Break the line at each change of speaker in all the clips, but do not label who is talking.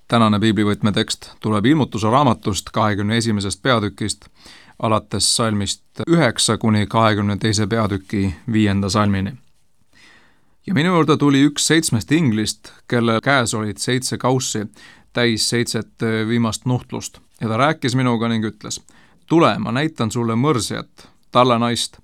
Tänane piiblivõtme tekst tuleb Ilmutuse raamatust 21. peatükist, alates salmist 9 kuni 22. peatüki 5. salmini. Ja minu juurde tuli üks 7 inglist, kelle käes olid 7 kaussi, täis 7 viimast nuhtlust, ja ta rääkis minuga ning ütles: tule, ma näitan sulle mõrsjat, talle naist.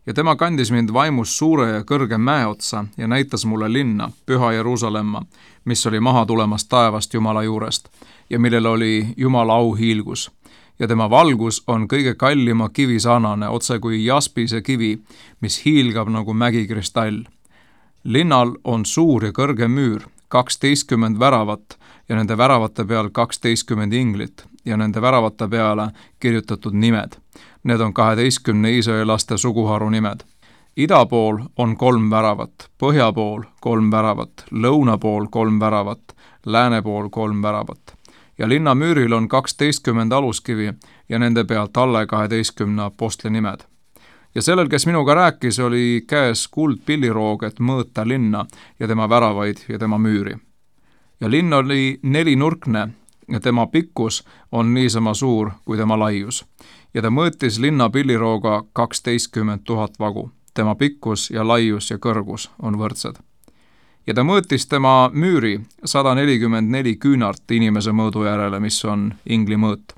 Ja tema kandis mind vaimus suure ja kõrge mäe otsa ja näitas mulle linna, Püha Jeruusalemma, mis oli maha tulemas taevast Jumala juurest ja millel oli Jumala auhiilgus. Ja tema valgus on kõige kallima kivi sarnane, otse kui jaspise kivi, mis hiilgab nagu mägikristall. Linnal on suur ja kõrge müür, 12 väravat ja nende väravate peal 12 inglit ja nende väravate peale kirjutatud nimed. Need on 12 Iisraeli laste suguharu nimed. Ida pool on 3 väravat, põhja pool 3 väravat, lõuna pool 3 väravat, lääne pool 3 väravat. Ja linna müüril on 12 aluskivi ja nende pealt alle 12 apostli nimed. Ja sellel, kes minuga rääkis, oli käes kuldpilliroog, et mõõta linna ja tema väravaid ja tema müüri. Ja linn oli 4-nurkne ja tema pikkus on niisama suur kui tema laius. Ja ta mõõtis linna pillirooga 12 000 vagu. Tema pikkus ja laius ja kõrgus on võrdsed. Ja ta mõõtis tema müüri 144 küünart inimese mõõdu järele, mis on ingli mõõt.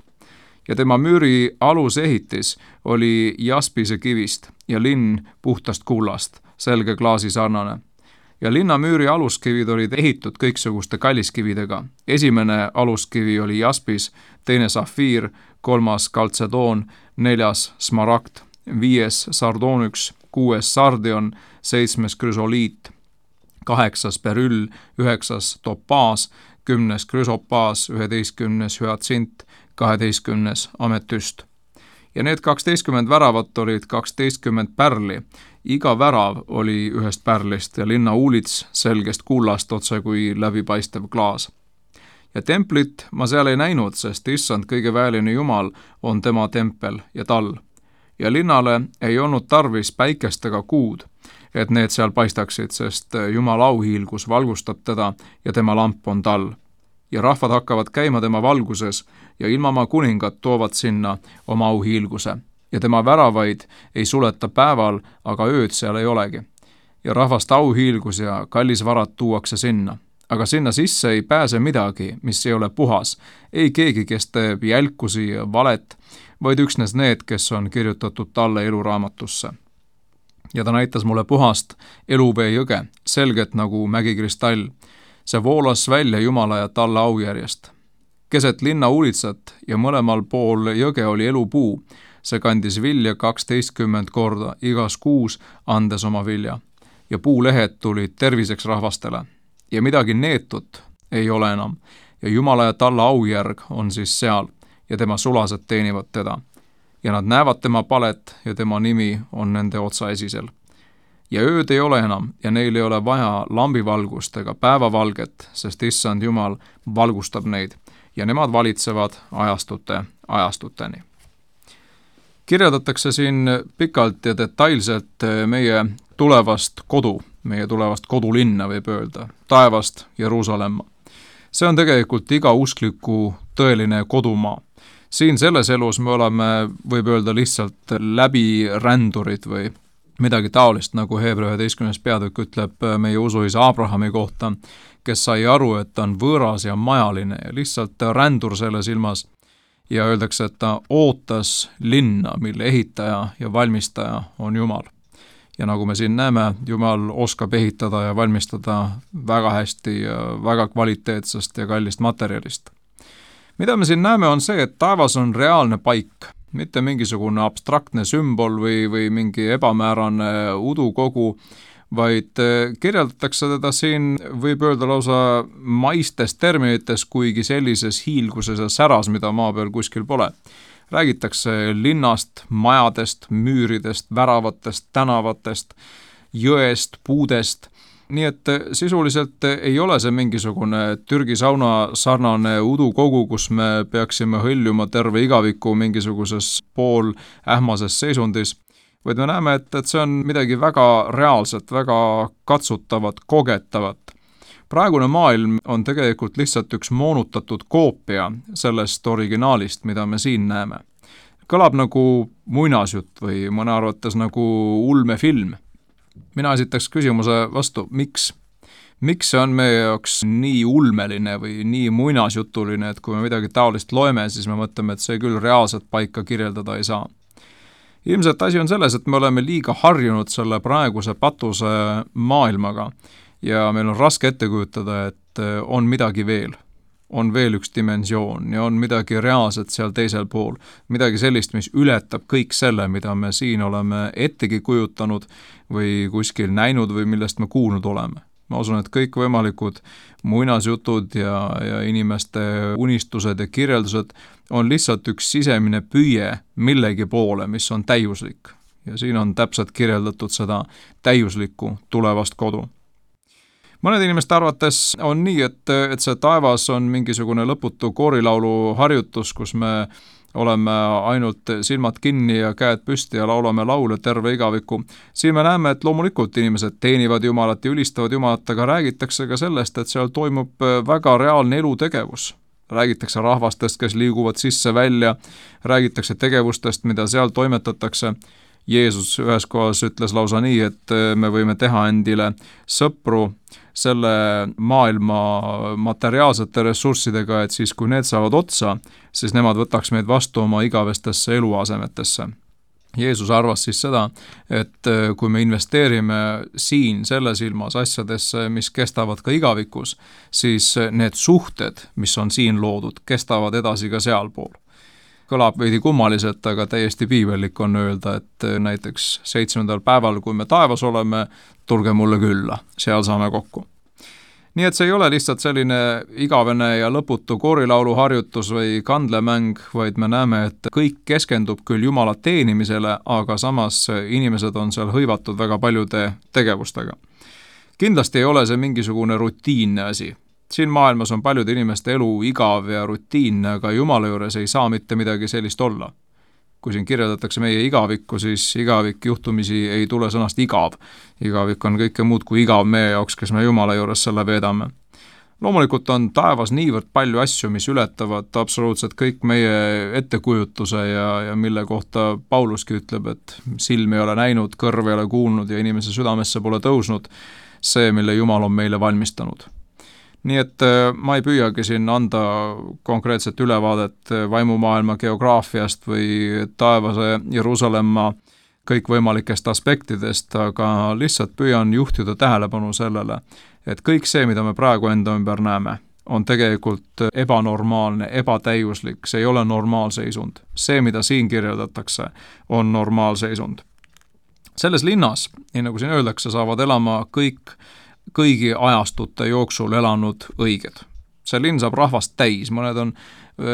Ja tema müüri alusehitis oli jaspise kivist ja linn puhtast kullast, selge klaasi sarnane. Ja linna müüri aluskivid olid ehitud kõiksuguste kalliskividega. Esimene aluskivi oli jaspis, teine safiir, 3. kaltsedoon, 4. smaragd, 5. sardonyx, 6. sardion, 7. krüsoliit, 8. beryll, 9. topaas, 10. krüsopaas, 11. hüatsint, 12. ametüst. Ja need 12 väravat olid 12 pärli. Iga värav oli ühest pärlist ja linna uulits selgest kullast otse kui läbipaistev klaas. Ja templit ma seal ei näinud, sest issand kõige väeline Jumal on tema tempel ja tall. Ja linnale ei olnud tarvis päikest ega kuud, et need seal paistaksid, sest Jumala auhiilgus valgustab teda ja tema lamp on tall. Ja rahvad hakkavad käima tema valguses ja ilmamaa kuningad toovad sinna oma auhiilguse. Ja tema väravaid ei suleta päeval, aga ööd seal ei olegi. Ja rahvast auhiilgus ja kallisvarad tuuakse sinna. Aga sinna sisse ei pääse midagi, mis ei ole puhas. Ei keegi, kes teeb jälkusi ja valet, vaid üksnes need, kes on kirjutatud talle eluraamatusse. Ja ta näitas mulle puhast eluvee jõge, selget nagu mägikristall. See voolas välja Jumala ja talle aujärjest. Keset linna uulitsat ja mõlemal pool jõge oli elupuu. See kandis vilja 12 korda igas kuus, andes oma vilja. Ja puulehed tulid terviseks rahvastele. Ja midagi neetut ei ole enam. Ja Jumala ja talle aujärg on siis seal ja tema sulased teenivad teda. Ja nad näevad tema palet ja tema nimi on nende otsaesisel. Ja ööd ei ole enam ja neil ei ole vaja lambivalgust ega päevavalget, sest issand Jumal valgustab neid ja nemad valitsevad ajastuteni. Kirjeldatakse siin pikalt ja detailselt meie tulevast kodulinna võib öelda, taevast Jeruusalemma. See on tegelikult iga uskliku tõeline kodumaa. Siin selles elus me oleme, võib öelda, lihtsalt läbirändurid või midagi taolist, nagu Hebra 11. peatükk ütleb meie usuisa Abrahami kohta, kes sai aru, et ta on võõras ja majaline ja lihtsalt rändur selles ilmas. Ja öeldakse, et ta ootas linna, mille ehitaja ja valmistaja on Jumal. Ja nagu me siin näeme, Jumal oskab ehitada ja valmistada väga hästi ja väga kvaliteetsest ja kallist materjalist. Mida me siin näeme on see, et taevas on reaalne paik, mitte mingisugune abstraktne sümbol või mingi ebamäärane udukogu, vaid kirjeldatakse teda siin, võib öelda lausa maistes terminites, kuigi sellises hiilguses ja säras, mida maa peal kuskil pole. Räägitakse linnast, majadest, müüridest, väravatest, tänavatest, jõest, puudest. Nii et sisuliselt ei ole see mingisugune Türgi sauna sarnane udukogu, kus me peaksime hõljuma terve igaviku mingisuguses pool ähmases seisundis, vaid me näeme, et see on midagi väga reaalset, väga katsutavat, kogetavat. Praegune maailm on tegelikult lihtsalt üks moonutatud koopia sellest originaalist, mida me siin näeme. Kõlab nagu muinasjutt või mõne arvates nagu ulmefilm. Mina esitaks küsimuse vastu, miks? Miks see on meie jaoks nii ulmeline või nii muinasjutuline, et kui me midagi taolist loeme, siis me mõtleme, et see küll reaalselt paika kirjeldada ei saa. Ilmselt asi on selles, et me oleme liiga harjunud selle praeguse patuse maailmaga ja meil on raske ette kujutada, et on midagi veel. On veel üks dimensioon ja on midagi reaalset seal teisel pool. Midagi sellist, mis ületab kõik selle, mida me siin oleme ettegi kujutanud või kuskil näinud või millest me kuulnud oleme. Ma usun, et kõik võimalikud muinasjutud ja inimeste unistused ja kirjeldused on lihtsalt üks sisemine püüe millegi poole, mis on täiuslik. Ja siin on täpselt kirjeldatud seda täiuslikku tulevast kodu. Mõned inimeste arvates on nii, et see taevas on mingisugune lõputu koorilaulu harjutus, kus me oleme ainult silmad kinni ja käed püsti ja laulame laule terve igaviku. Siin me näeme, et loomulikult inimesed teenivad Jumalat ja ülistavad Jumalat, aga räägitakse ka sellest, et seal toimub väga reaalne elutegevus. Räägitakse rahvastest, kes liiguvad sisse-välja, räägitakse tegevustest, mida seal toimetatakse. Jeesus ühes kohas ütles lausa nii, et me võime teha endile sõpru selle maailma materiaalsete ressurssidega, et siis kui need saavad otsa, siis nemad võtaks meid vastu oma igavestesse eluasemetesse. Jeesus arvas siis seda, et kui me investeerime siin selles ilmas asjadesse, mis kestavad ka igavikus, siis need suhted, mis on siin loodud, kestavad edasi ka sealpool. Kõlab veidi kummaliselt, aga täiesti piibellik on öelda, et näiteks 7. päeval, kui me taevas oleme, tulge mulle külla, seal saame kokku. Nii et see ei ole lihtsalt selline igavene ja lõputu koorilaulu harjutus või kandlemäng, vaid me näeme, et kõik keskendub küll Jumala teenimisele, aga samas inimesed on seal hõivatud väga paljude tegevustega. Kindlasti ei ole see mingisugune rutiinne asi. Siin maailmas on paljude inimeste elu igav ja rutiinne, aga Jumala juures ei saa mitte midagi sellist olla. Kui siin kirjeldatakse meie igavikku, siis igavik juhtumisi ei tule sõnast igav. Igavik on kõike muud kui igav meie jaoks, kes me Jumala juures selle veedame. Loomulikult on taevas niivõrd palju asju, mis ületavad absoluutselt kõik meie ettekujutuse ja mille kohta Pauluski ütleb, et silm ei ole näinud, kõrv ei ole kuulnud ja inimese südamesse pole tõusnud see, mille Jumal on meile valmistanud. Nii et ma ei püüagi siin anda konkreetset ülevaadet vaimumaailma geograafiast või taevase Jeruusalemma kõikvõimalikest aspektidest, aga lihtsalt püüan juhtida tähelepanu sellele, et kõik see, mida me praegu enda ümber näeme, on tegelikult ebanormaalne, ebatäiuslik, see ei ole normaalseisund. See, mida siin kirjeldatakse, on normaalseisund. Selles linnas, nii nagu siin öeldakse, saavad elama kõigi ajastute jooksul elanud õiged. See linn saab rahvast täis, mõned on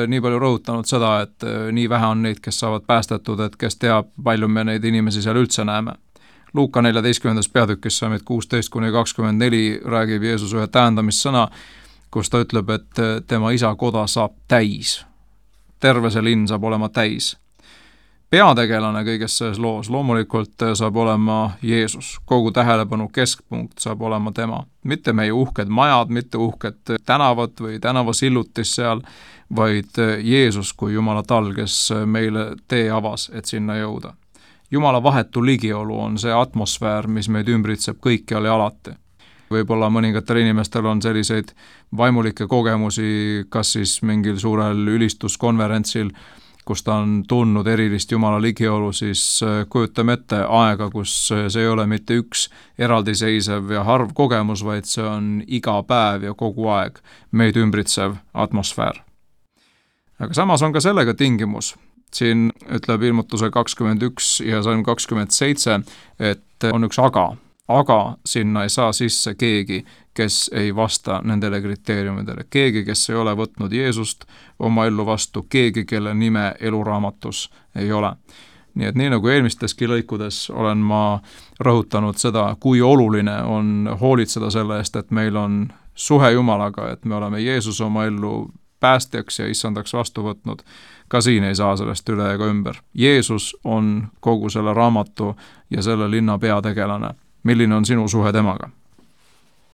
nii palju rõhutanud seda, et nii vähe on neid, kes saavad päästetud, et kes teab, palju me neid inimesi seal üldse näeme. Luuka 14. peatükis saamid 16-24 räägib Jeesus ühe tähendamissõna, kus ta ütleb, et tema isa koda saab täis. Terve see linn saab olema täis. Peategelane kõiges selles loos loomulikult saab olema Jeesus. Kogu tähelepanu keskpunkt saab olema tema. Mitte meie uhked majad, mitte uhked tänavad või tänavasillutis seal, vaid Jeesus kui Jumala tal, kes meile tee avas, et sinna jõuda. Jumala vahetu ligiolu on see atmosfäär, mis meid ümbritseb kõikjal ja alati. Võib-olla mõningatel inimestel on selliseid vaimulikke kogemusi, kas siis mingil suurel ülistuskonverentsil, kus ta on tundnud erilist Jumala ligiolu, siis kujutame ette aega, kus see ei ole mitte üks eraldiseisev ja harv kogemus, vaid see on iga päev ja kogu aeg meid ümbritsev atmosfäär. Aga samas on ka sellega tingimus. Siin ütleb ilmutuse 21 ja salm 27, et on üks aga sinna ei saa sisse keegi, kes ei vasta nendele kriteeriumidele. Keegi, kes ei ole võtnud Jeesust oma ellu vastu, keegi, kelle nime eluraamatus ei ole. Nii et nii nagu eelmisteski lõikudes olen ma rõhutanud seda, kui oluline on hoolitseda selle eest, et meil on suhe Jumalaga, et me oleme Jeesus oma ellu päästjaks ja issandaks vastu võtnud, ka siin ei saa sellest üle ega ümber. Jeesus on kogu selle raamatu ja selle linna peategelane. Milline on sinu suhe temaga?